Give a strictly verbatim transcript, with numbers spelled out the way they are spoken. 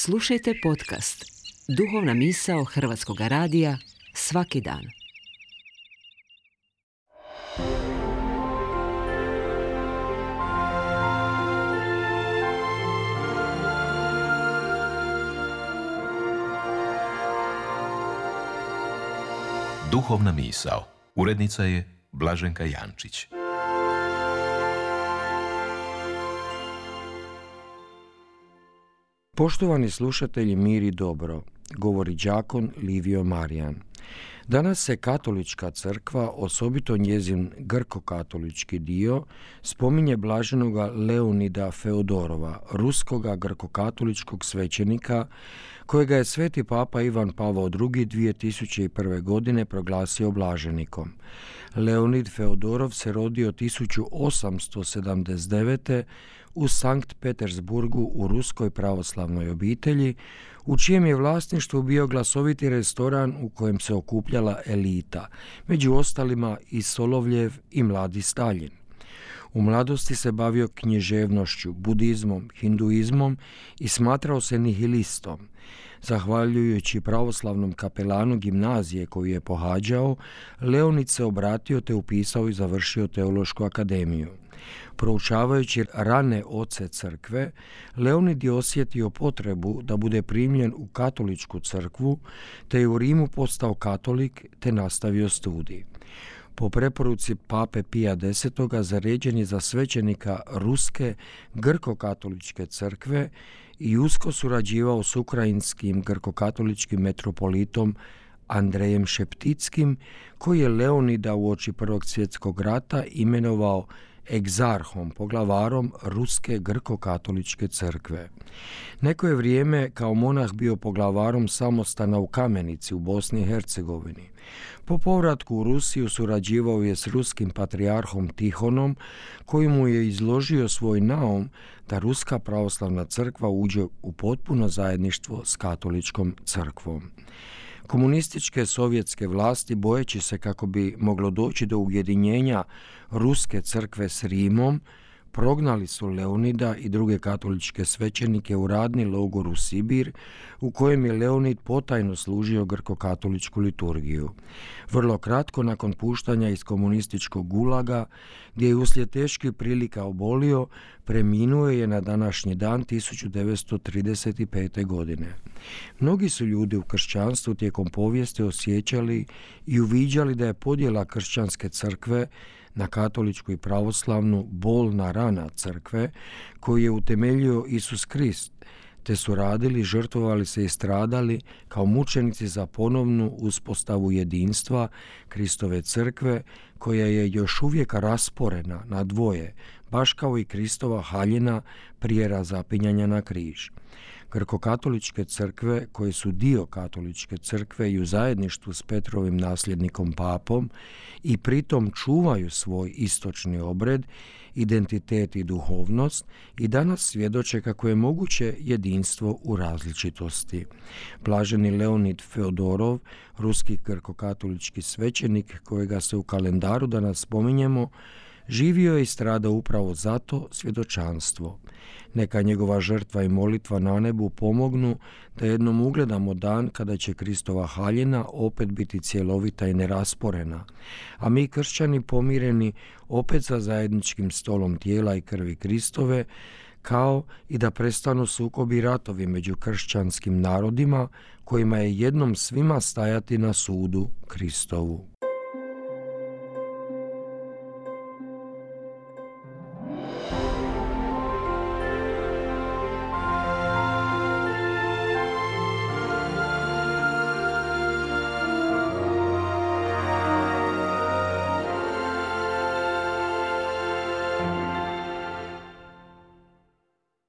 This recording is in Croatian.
Slušajte podcast Duhovna misao Hrvatskog radija svaki dan. Duhovna misao. Urednica je Blaženka Jančić. Poštovani slušatelji, mir i dobro, govori đakon Livio Marijan. Danas se katolička crkva, osobito njezin grko-katolički dio, spominje blaženoga Leonida Feodorova, ruskoga grko-katoličkog svećenika, kojega je sveti papa Ivan Pavao drugi. dvije tisuće prve. godine proglasio blaženikom. Leonid Feodorov se rodio tisuću osamsto sedamdeset devete. u Sankt Petersburgu u ruskoj pravoslavnoj obitelji, u čijem je vlasništvu bio glasoviti restoran u kojem se okupljala elita, među ostalima i Solovljev i mladi Staljin. U mladosti se bavio književnošću, budizmom, hinduizmom i smatrao se nihilistom. Zahvaljujući pravoslavnom kapelanu gimnazije koju je pohađao, Leonid se obratio te upisao i završio teološku akademiju. Proučavajući rane oce crkve, Leonid je osjetio potrebu da bude primljen u katoličku crkvu, te je u Rimu postao katolik te nastavio studij. Po preporuci pape Pija desetog. zaređen je za svećenika ruske grko-katoličke crkve i usko surađivao s ukrajinskim grko-katoličkim metropolitom Andrejem Šeptickim, koji je Leonida uoči Prvog svjetskog rata imenovao egzarhom, poglavarom ruske grko-katoličke crkve. Neko je vrijeme kao monah bio poglavarom samostana u Kamenici u Bosni i Hercegovini. Po povratku u Rusiju surađivao je s ruskim patrijarhom Tihonom, koji mu je izložio svoj naum da ruska pravoslavna crkva uđe u potpuno zajedništvo s katoličkom crkvom. Komunističke sovjetske vlasti, bojeći se kako bi moglo doći do ujedinjenja ruske crkve s Rimom, prognali su Leonida i druge katoličke svećenike u radni logor u Sibir, u kojem je Leonid potajno služio grko-katoličku liturgiju. Vrlo kratko nakon puštanja iz komunističkog gulaga, gdje je uslijed teških prilika obolio, preminuo je na današnji dan tisuću devetsto trideset pete. godine. Mnogi su ljudi u kršćanstvu tijekom povijesti osjećali i uviđali da je podjela kršćanske crkve na katoličku i pravoslavnu bolna rana crkve koju je utemeljio Isus Krist, te su radili, žrtvovali se i stradali kao mučenici za ponovnu uspostavu jedinstva Kristove crkve, koja je još uvijek rasporena na dvoje, baš kao i Kristova haljina prije razapinjanja na križ. Grko-katoličke crkve, koje su dio katoličke crkve i u zajedništvu s Petrovim nasljednikom papom i pritom čuvaju svoj istočni obred, identitet i duhovnost, i danas svjedoče kako je moguće jedinstvo u različitosti. Blaženi Leonid Feodorov, ruski grko-katolički svećenik kojega se u kalendaru danas spominjemo, živio je i stradao upravo zato svjedočanstvo. Neka njegova žrtva i molitva na nebu pomognu da jednom ugledamo dan kada će Kristova haljina opet biti cjelovita i nerasporena, a mi kršćani pomireni opet za zajedničkim stolom tijela i krvi Kristove, kao i da prestanu sukobi i ratovi među kršćanskim narodima kojima je jednom svima stajati na sudu Kristovu.